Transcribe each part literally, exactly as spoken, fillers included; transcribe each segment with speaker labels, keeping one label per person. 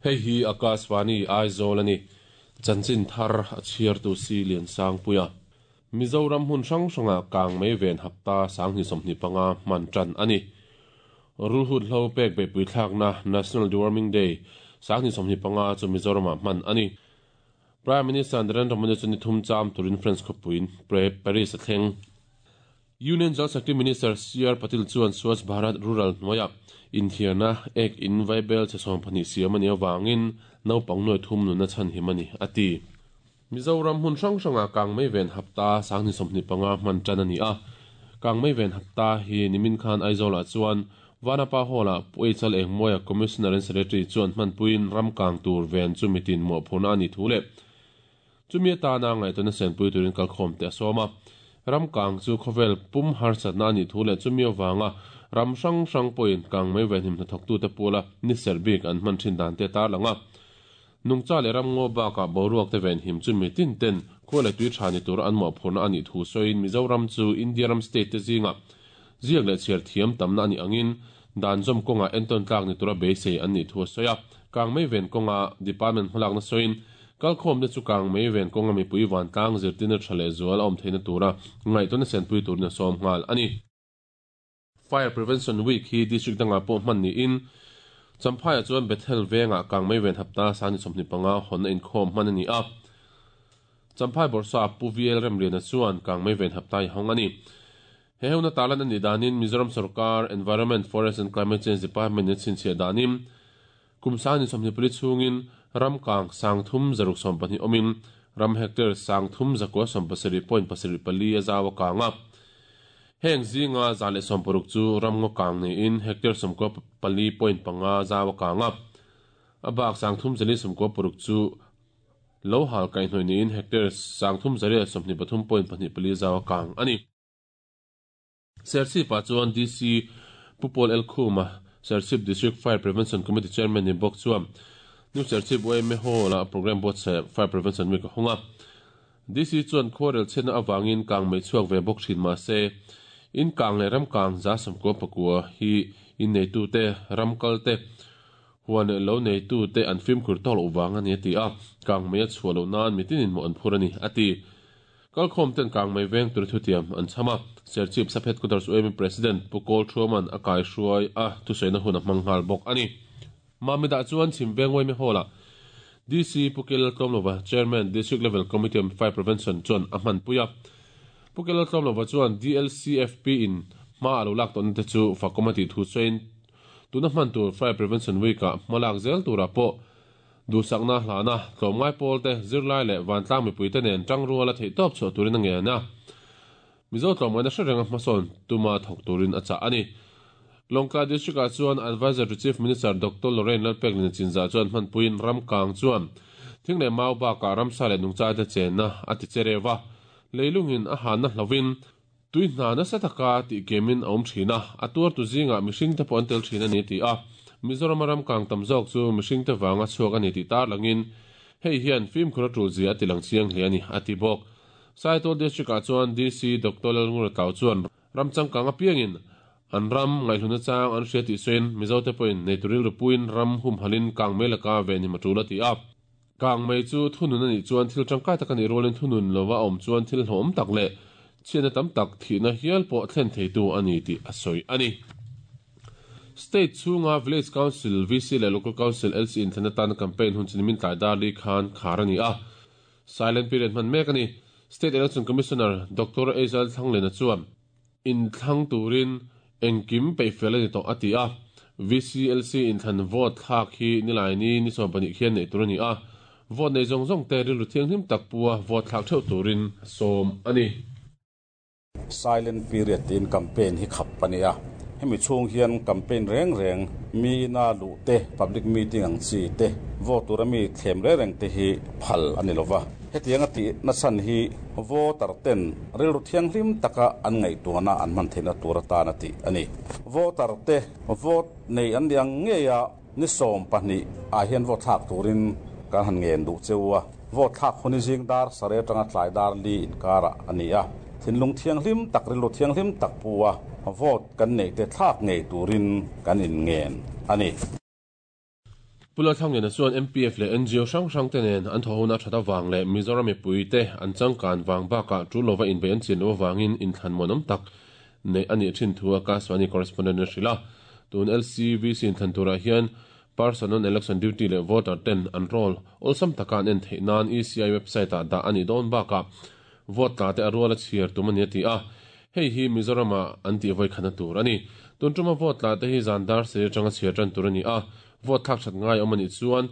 Speaker 1: Hei hi Akashvani Aizawl ani. Chanchin thar a chhiartu si lian sang puia. Mizoram hun hrang hranga kang mei ven hapta sanghnih sawmhnih panga hman tan ani. Rulhut hlo pek beihpui thlakna National Deworming Day sanghnih sawmhnih panga chu Mizoramah hman ani. Prime Minister Narendra Modi chu ni thum cham turin France khawpuiin Paris a thleng. Union Jal Shakti Minister C R Patil chuan Swachh Bharat Rural hnuaiah inthiarna ek in vaibel che sawm pahnih siam ani awangin naupang nuai thum nunna chhan him ani ati. Mizoram hun hrang hranga kang mei ven hapta sanghnih sawmhnih panga hman tan ani a. Kang mei ven hapta hi nimin khan Aizawlah chuan Vanapa Hall-ah Puichal Engmawia Commissioner and Secretary chuan hmanpuiin ram kang tur ven chu mitin mawhphurna ani thu le. Chumi atana ngaihtuahna senpui turin kalkhawm te a sawm a. Ram kang chu khawvel pum harsatna ani thu le chumi awanga ram hrang hrang pawhin kang mei ven him hnathawk tu te pula ni serbik an hman thin dan te tar langa. Nungcha le ram ngaw bakah boruak te ven him chu mitin ten khual le tui tha ni tur an mawhphurna ani thu sawiin Mizoram chu India ram state te zinga ziak leh chhiar thiam tamna ani angin dan zawm kawnga enton tlak ni tura beisei an nih thu a sawi a. Kang mei ven kawnga department hmalakna sawiin kalkhawm te chu kang mei ven kawnga mipui vantlang zirtirna tha leh zual a awm theihna tura ngaihtuahna senpui turin a sawm nghal ani. Fire Prevention Week hi district dangah pawh hman niin Champhaiah chuan Bethel vengah kang mei ven hapta sanghnih sawmhnih panga hawnna inkhawm hman ani a. Champhai Borsa Pu V L Remliana chuan kang mei ven hapta i hawng ani. He huna talan ani danin Mizoram Sarkar Environment, Forest and Climate Change Department in chhinchhiah danin kum sanghnih sawmhnih pali chhungin ram kang sang thum zaruk sawm pahnih awmin ram hectare sang thum zakua sawm pasarih point pasarih pali a zau a kang a. Heng zinga za leh sawm paruk chu ram ngaw kang niin hectare sawmkua pali point panga zau a kang a. A bak sang thum zali sawmkua paruk chu lo hal kaihhnawih niin hectare sang thum zariah sawmhnih pathum point pahnih pali zau a kang ani. Serchhip ah chuan D C Pupol El Khuma Serchhip District Fire Prevention Committee Chairman ni bawk chuan New Serchhip Y M A Hall ah program buatsaih Fire Prevention Week a hawng a. D C chuan khuarel chhiatna awangin kang mei chhuak ve bawk thin mahse in kang leh ram kang za sawmkua pakua hi in neitu te ram kal te huan leh lo neitu te an fimkhur tawk loh vang ani a ti a. Kang mei a chhuah loh nan mitinin mawh an phur ani a ti. Kalkhawm ten kang mei veng tur thutiam an cham a. Serchhip Sub Headquarters U M A President Pu Kawl Thuaman a kai hruai a thusawina hun a hmang nghal bawk ani. Mamida chuan chhim veng Y M A Hall-ah D C Pu Kel Tlawmlova Chairman District Level Committee on Fire Prevention chuan a hman pui a. Pu Kel Tlawmlova chuan D L C F P in hma a lo lak tawhna te chu fakawm a tih thu sawiin tuna hman tur Fire Prevention Week-ah hma lak zel turah pawh duhsakna hlana tlawmngai pawl te zirlai leh vantlang mipui te nen tang rual a theih tawp chhuah turin a ngen a. Mizo tlawmngaina hre renga hmasawn tuma thawk turin a chah ani. Lawngtlai District ah chuan Advisor to Chief Minister Doctor Lorraine Lalpeklin Chinzah chuan hmanpuiin ram kang chuan thing leh mau bakah ramsa leh nungcha te chenna a ti che rewa. Leilungin a hanna hlovin tui hna nasa taka tih kemin a awm thin a. A tuar tu zingah mihring te pawh an tel thin ani ti a. Mizoram ram kang tam zawk chu mihring te wanga chhuak ani ti tar langin hei hian fimkhur a tul zia a ti lang chiang hle ani a ti bawk. Saitual District ah chuan D C Doctor Lalngura Tlau chuan ram changkang a piangin an ram ngaihluna chang an hria tih sawiin Mizo te pawhin neituril rupuiin ram hum halin kang mei laka ven him a tul a ti a. Kang mei chu thunun ani chuan thil tangkai tak ani rualin thunun lova awm chuan thil hlawm tak leh chhiatna tam tak thihna hial pawh thlen theitu ani tih a sawi ani. State chhunga Village Council V C leh Local Council L C inthlanna tan campaign hun chinimin tlai dar li khan khar ani a. Silent period hman mek ani. State Election Commissioner Doctor Aizal Thanglena chuan inthlang turin engkim peihfel ani tawh a ti a. V C L C inthlan vote thlak hi nilai ni ni sawm pahnih khian nei tur ani a. Vote nei zawng zawng te rilru thianghlim tak pua vote thlak theuh turin sawm ani.
Speaker 2: Silent period tin campaign hi khap ani a. Hemi chhung hian campaign reng reng mi na lu te public meeting ang chi te vote tura mi thlem reng reng te hi phal ani lova. Hetiang a ti na chan hi voter ten rilru thianghlim taka an ngaihtuahna an hman theihna tur atan a ti ani. Voter te vote nei an liang nge a ni sawm pahnih ah hian vote thlak turin kan han ngen duh cheu a. Vote thlak huni zing dar sare atanga tlai dar li inkara ani a. Thinlung thianghlim tak rilru thianghlim tak pua vote kan nei te thlak ngei turin kan in ngen ani.
Speaker 1: Pu Lalthangliana chuan M P F leh N G O hrang hrang te nen an thawhhona that awang leh Mizoram mipui te an changkan wang baka tul lova inbe an chin lo wangin inthlan muanawm tak nei ani thin thu Akashvani correspondent a hrila. Tun L C V C inthlan turah hian person on election duty leh voter ten an roll awlsam taka an en theih nan E C I website ah dah ani dawn baka vote tla te a ruala chhiar tum ani a ti a. Hei hi Mizorama an ti voi khana tur ani. Tun tuma vote tla te hi zandar se tanga chhiar tan tur ani a. Vote thak that ngai awm ani chuan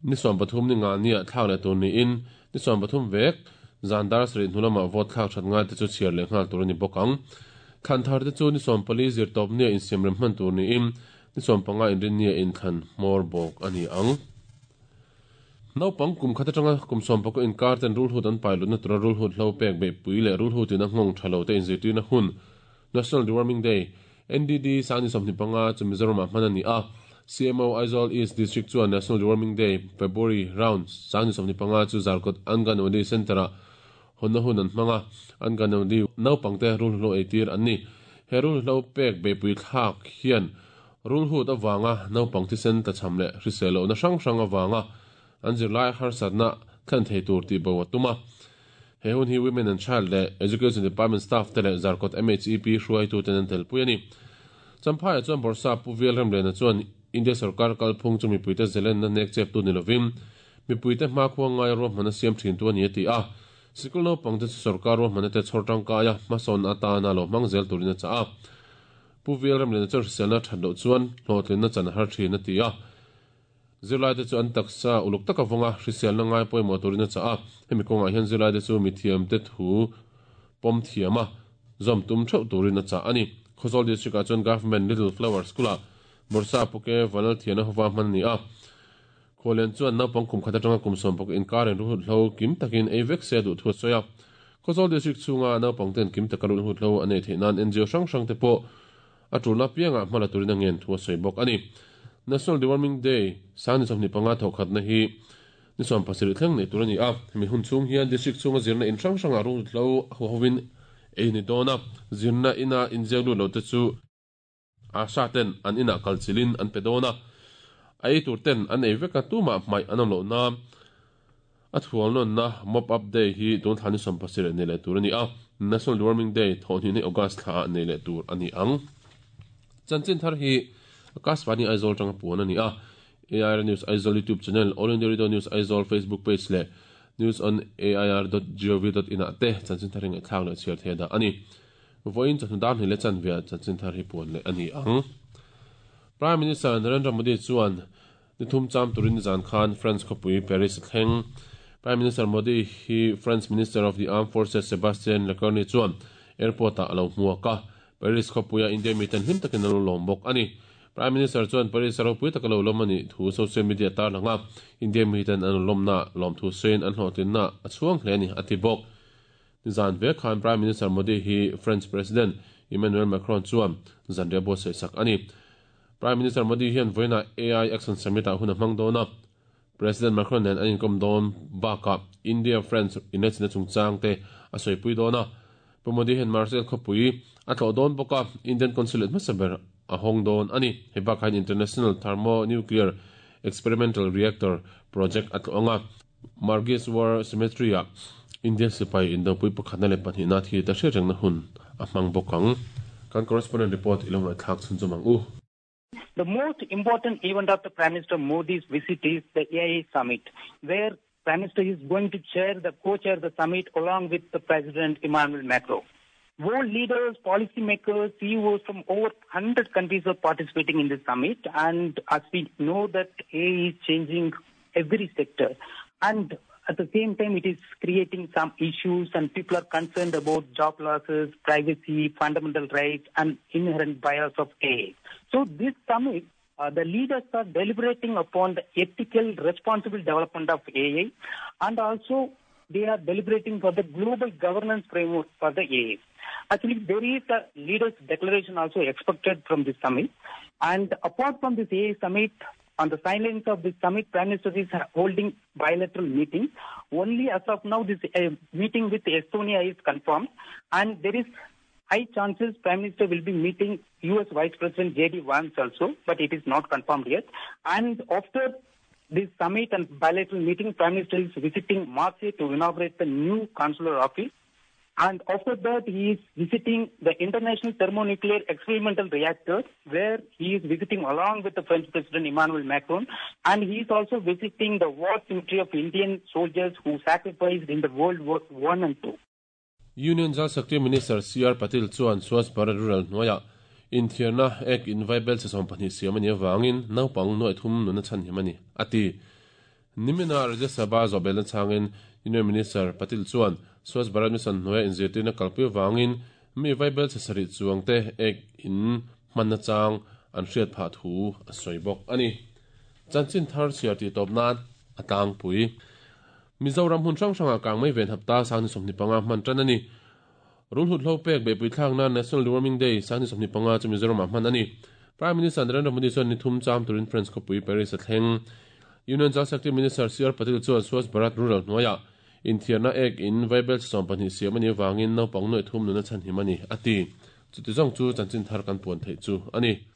Speaker 1: ni sawm pathum ni nga nia thlak leh tur ni in ni sawm pathum vek zandar sri hnulama vote thlak that ngai te chu chhiar leh nghal tur ani bawk ang. Thlan thar te chu ni sawm pali zir tawp nia insiam rem hman tur ni in ni sawm panga inrin nia inthlan hmawr bawk ani ang. Naupang kum khat atanga kum sawm pakua inkar ten rulhut an pai lutna tura rulhut hlo pek beihpui leh rulhut in a nghawng tha lo te inzirtirna hun National Deworming Day, N D D sangni sawmhnih panga chu Mizoramah hman ani a. C M O Aizawl East District chuan National Deworming Day February round sangni sawmhnih panga chu Zarkawt Anganwadi Center-ah honna hun an hmanga. Anganwadi naupangte rulhlo eitir an ni. He rulhlo pek beihpui thlak hian rulhut awanga naupang thisen tlachham leh hrisel lohna hrang hrang awanga an zirlai harsatna thlen thei tur tih bo a tuma. He hun hi Women and Child leh Education Department staff te leh Zarkawt M H E P hruaitu ten an telpui ani. Champhai chuan Bawrhsap Pu V L Remliana chuan India sarkar kalphung chu mipuite zelen na nek chep tu ni lovin mipuite hmakhua ngai ruahmanna siam thin tu ani a ti a. Sikul naupangte chu sarkar ruahmanna te chhawr tangkaia hmasawn atana lo hmang zel turin a chah a. Pu V L Remliana chuan hriselna that loh chuan hlawhtlinna chan har thin a ti a. Zirlai te chu an taksa uluk taka vawnga hriselna ngai pawimawh turin a chah a. Hemi kawngah hian zirlai te chu mithiam te thu pawm thiam a zawm tum theuh turin a chah ani. Khawzawl District ah chuan Government Little Flower School ah Bawrhsap Pu K Vanlalthiana hova hman ani a. Khawlen chuan naupang kum khat atanga kum sawm pakua inkar in rulhut hlo kim takin ei vek se duh thu a sawi a. Khawzawl District chhunga naupang ten kim taka rulhut hlo an ei theih nan N G O hrang hrang te pawh a tulna piangah hmala turin a ngen thu a sawi bawk ani. National Deworming Day sangni sawmhnih panga thawkhatna hi ni sawm pasarih thleng nei tur ani a. Hemi hun chhung hian district chhunga zirna in hrang hrangah rulhut hlo hovin ei ni dawn a. Zirna ina inziak lut lo te chu ASHA ten an inah kalchilin an pe dawn a. A ei tur ten an ei veka tumah hmaih an awm loh na a thual nawn na Mop Up Day hi tun thla ni sawm pasarih nei leh tur ani a. National Deworming Day thawhhnih ni August thla ah nei leh tur ani ang. Chanchin thar hi Akashvani Aizawl tanga puan ani a. A I R News Aizawl YouTube channel, All India Radio News Aizawl Facebook page leh news on A I R dot gov dot in ah te chanchin thar hi ngaihthlak leh chhiar thei da ani. Voin chawhnu dar hnih leh chanve chanchin thar hi puan leh ani ang. Prime Minister Narendra Modi chuan nithum cham turin zan khan France khawpui Paris thleng. Prime Minister Modi hi French Minister of the Armed Forces Sebastien Lecornu chuan airport ah alo hmuak a. Paris khawpuia India mi ten hlim takin alo lawm bawk ani. Prime Minister chuan Paris ropui taka lo lawm ani thu social media tar langa. India mi ten an lawmna lawm thu sawiin an hlawhtlinna a chhuang hle ani a ti bawk. Zan ve khan Prime Minister Modi hi French President Emmanuel Macron chuan zanriah buatsaih sak ani. Prime Minister Modi hian voina A I Action Summit ah hun a hmang dawn a. President Macron nen an inkom dawn bakah India France inlaichina chungchang te a sawipui dawn a. Pu Modi hian Marseille khawpui a tlawh dawn bawk a, Indian Consulate hmasa ber a hawng dawn ani. Hei bakah hian International Thermonuclear Experimental Reactor Project a tlawh anga. Margis War Cemetery ah India sipai indopui pakhatna leh pahnihna thi ta hriat rengna hun a hmang bawk ang. Kan correspondent report ilo ngaihthlak chhun chu mang u.
Speaker 3: The most important event of the Prime Minister Modi's visit is the A I Summit, where Prime Minister is going to chair the co-chair the summit along with the President Emmanuel Macron. World leaders, policymakers, C E Os from over one hundred countries are participating in this summit. And as we know that A I is changing every sector. And at the same time, it is creating some issues and people are concerned about job losses, privacy, fundamental rights, and inherent bias of A I. So this summit, uh, the leaders are deliberating upon the ethical, responsible development of A I, and also they are deliberating for the global governance framework for the A I. Actually, there is a leaders' declaration also expected from this summit. And apart from this A I summit, on the sidelines of this summit, Prime Minister is holding bilateral meeting. Only as of now, this uh, meeting with Estonia is confirmed, and there is High chances Prime Minister will be meeting U S Vice President J D Vance also, but it is not confirmed yet. And after this summit and bilateral meeting, Prime Minister is visiting Marseille to inaugurate the new consular office. And after that, he is visiting the International Thermonuclear Experimental Reactor, where he is visiting along with the French President Emmanuel Macron. And he is also visiting the war cemetery of Indian soldiers who sacrificed in the World War One and Two.
Speaker 1: Union Jal Shakti Minister C R Patil chuan Swachh Bharat Rural hnuaiah inthiarna ek in vaibel che sawm pahnih siam ani awangin naupang nuai thum nuna chhan him ani ati. Nimina Rajya Sabha zawhbelna changin Union Minister Patil chuan Swachh Bharat Mission hnuaiah inzirtirna kalpui awangin mi vaibel che sarih chuang te ek in hmanna chang an hriat phah thu a sawi bawk ani. Chanchin thar chhiar tih tawp nan a tlangpui. Mizoram hun hrang hrangah kang mai ven hapta sangni sawmhnih panga hman tan ani. Rulhut hlo pek beipui thlakna National Deworming Day sangni sawmhnih panga chu Mizoramah hman ani. Prime Minister Narendra Modi chuan ni thum cham turin French khawpui Paris a thleng. Union Jal Shakti Minister C R Patil chuan Swachh Bharat Rural hnuaiah inthiarna ek in vaibel sawm pahnih siam ani awangin naupang nuai thum nuna chhan him ani ati. Chuti zawng chu chanchin thar kan puan theih chu ani.